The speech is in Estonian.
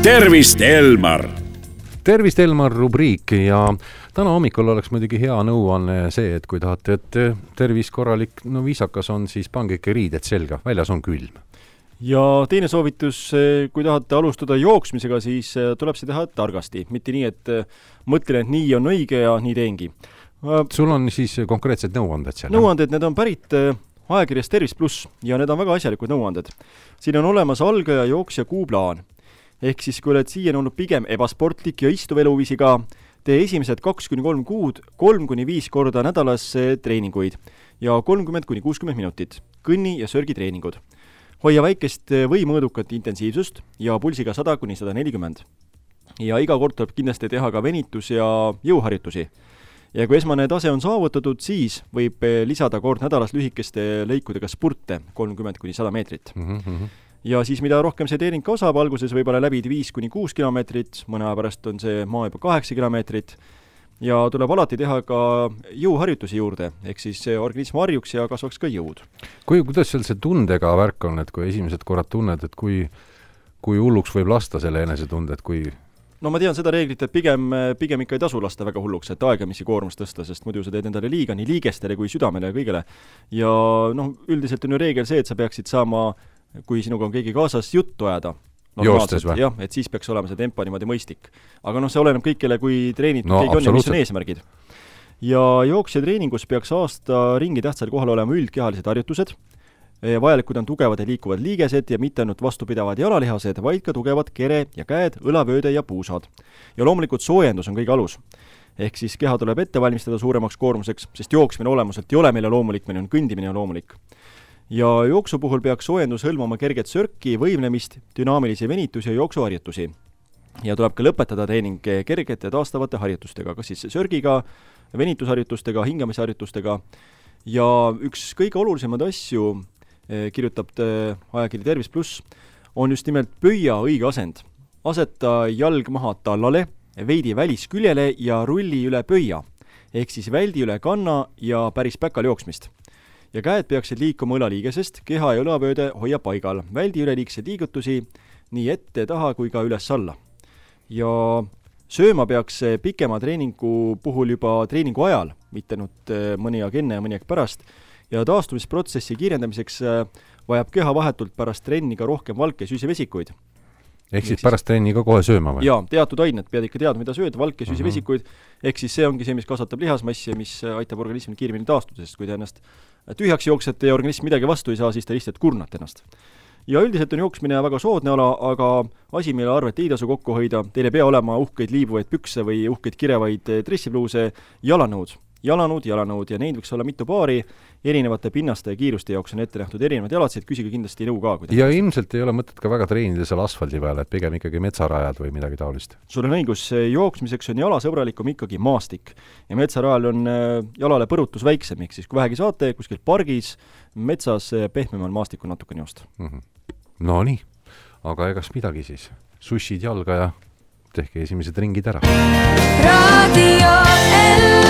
tervist, Elmar! Tervist, Elmar rubriik ja täna hommikul oleks muidugi hea nõuanne see, et kui tahate, et tervis korralik, viisakas on, siis pange ikka riided selga, väljas on külm. Ja teine soovitus, kui tahate alustada jooksmisega, siis tuleb see teha targasti. Mitte nii, et mõtlen, et nii on õige ja nii teengi. Sul on siis konkreetsed nõuanded seal? Nõuanded, need on pärit ajakirjast Tervis Plus ja need on väga asjalikud nõuanded. Siin on olemas algaja jooksja kuuplaan. Ehk siis, kui oled siiani olnud pigem ebasportlik ja istuv eluviisi ka, tee esimesed 2-3 kuud 3-5 korda nädalas treeninguid ja 30-60 minutit, kõnni- ja sörgitreeningud. Hoia väikest või mõõdukat intensiivsust ja pulsiga 100-140. Ja iga kord tuleb kindlasti teha ka venitus- ja jõuharjutusi. Ja kui esmane tase on saavutatud, siis võib lisada kord nädalas lühikeste lõikudega spurte 30-100 meetrit. Ja siis mida rohkem see treening kasvab, alguses võib-olla läbid 5-6 kilomeetrit, mõne aja pärast on see maa juba 8 kilomeetrit ja tuleb alati teha ka jõuharjutusi juurde, ehk siis organism harjuks ja kasvaks ka jõud. Kuidas seal see tundega värk on, et kui esimesed korrad tunned, et kui hulluks võib lasta selle enesetunde, et kui... No ma tean seda reeglit, et pigem ikka ei tasu lasta väga hulluks, et aegamisi koormust tõsta, sest muidu sa teed endale liiga nii liigestele kui südamele ja kõigele. Ja üldiselt on ju reegel see, et sa peaksid saama, kui sinuga on keegi kaasas, juttu ajada. Joostes või? Jah, et siis peaks olema see tempo niimoodi mõistlik. Aga see oleneb kõikele, kui treenitud keegi on ja mis on eesmärgid. Ja jooksja treeningus peaks aasta ringi tähtsal kohal olema üldkehalised harjutused. Vajalikud on tugevad ja liikuvad liigesed ja mitte ainult vastupidavad jalalihased, vaid ka tugevad kere ja käed, õlavööde ja puusad. Ja loomulikult soojendus on kõige alus. Ehk siis keha tuleb ette valmistada suuremaks koormuseks, sest jooksmine olemuselt ei ole meile loomulik, meil on kõndimine ja loomulik. Ja jooksu puhul peaks soojendus hõlmama kerget sörki, võimlemist, dünaamilisi venitusi ja jooksuharjutusi. Ja tuleb ka lõpetada treening kergete taastavate harjutustega, kas siis sörgiga, venitusharjutustega, hingamisharjutustega. Ja üks kõige olulisemad asju, kirjutab ajakiri Tervis Plus, on just nimelt pöia õige asend. Aseta jalg maha tallale, veidi välisküljele ja rulli üle pöia, ehk siis väldi üle kanna ja päris päkal jooksmist. Ja käed peaksid liikuma õlaliigesest, keha ja õlavööde hoia paigal, väldi üleliigseid liigutusi nii ette, taha kui ka üles alla. Ja sööma peaks pikema treeningu puhul juba treeningu ajal, mitte nüüd mõni aeg enne ja mõni aeg pärast, ja taastumisprotsessi kiirendamiseks vajab keha vahetult pärast trenni ka rohkem valke süsivesikuid. Ehk siis pärast trenni ka kohe sööma või? Jaa, teatud ained, pead ikka teadma, mida sööd, valke süsivesikuid, ehk siis see ongi see, mis kasvatab lihasmassi ja mis aitab organismil kiiremini taastuda, sest kui te ennast tühjaks jooksete ja organism midagi vastu ei saa, siis te lihtsalt kurnate ennast. Ja üldiselt on jooksmine väga soodne ala, aga asi, mille arvet ei tasu kokku hoida, teil ei pea olema uhkeid liibuvaid pükse või uhkeid kirevaid dressipluuse, jalanõud ja neid võiks olla mitu paari, erinevate pinnaste ja kiiruste jaoks on ette nähtud erinevad jalatsid, küsige kindlasti nõu ka. Ja ilmselt ei ole mõtet ka väga treenida seal asfaldi peale, et pigem ikkagi metsarajad või midagi taolist. Sul on õigus, jooksmiseks on jalasõbralikum ikkagi maastik ja metsarajal on jalale põrutus väiksem, ehk siis kui vähegi saate, kuskil pargis, metsas pehmemal maastikul natukene joosta. No nii, aga egas midagi siis. Sushid jalga ja tehke esimesed ringid ära. Radio L